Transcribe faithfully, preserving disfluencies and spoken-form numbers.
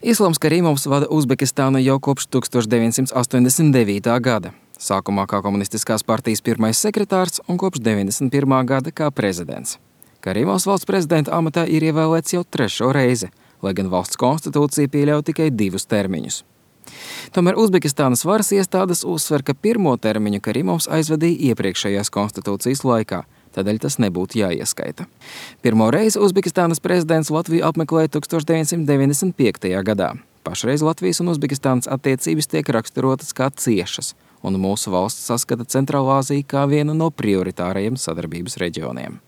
Islams Karīmovs vada Uzbekistānu jau kopš tuksstoš deviņsimt astoņdesmit devītā gada. Sākumā kā komunistiskās partijas pirmais sekretārs un kopš deviņdesmit pirmā gada kā prezidents. Karīmovs valsts prezidenta amatā ir ievēlēts jau trešo reizi, lai gan valsts konstitūcija pieļauj tikai divus termiņus. Tomēr Uzbekistānas varas iestādes uzsver, ka pirmo termiņu Karīmovs aizvadīja iepriekšējās konstitūcijas laikā, tādēļ tas nebūtu jāieskaita. Pirmo reizi Uzbekistānas prezidents Latviju apmeklēja tuksstoš deviņsimt deviņdesmit piektajā gadā. Pašreiz Latvijas un Uzbekistānas attiecības tiek raksturotas kā ciešas, un mūsu valsts saskata Centrālāziju kā vienu no prioritārajiem sadarbības reģioniem.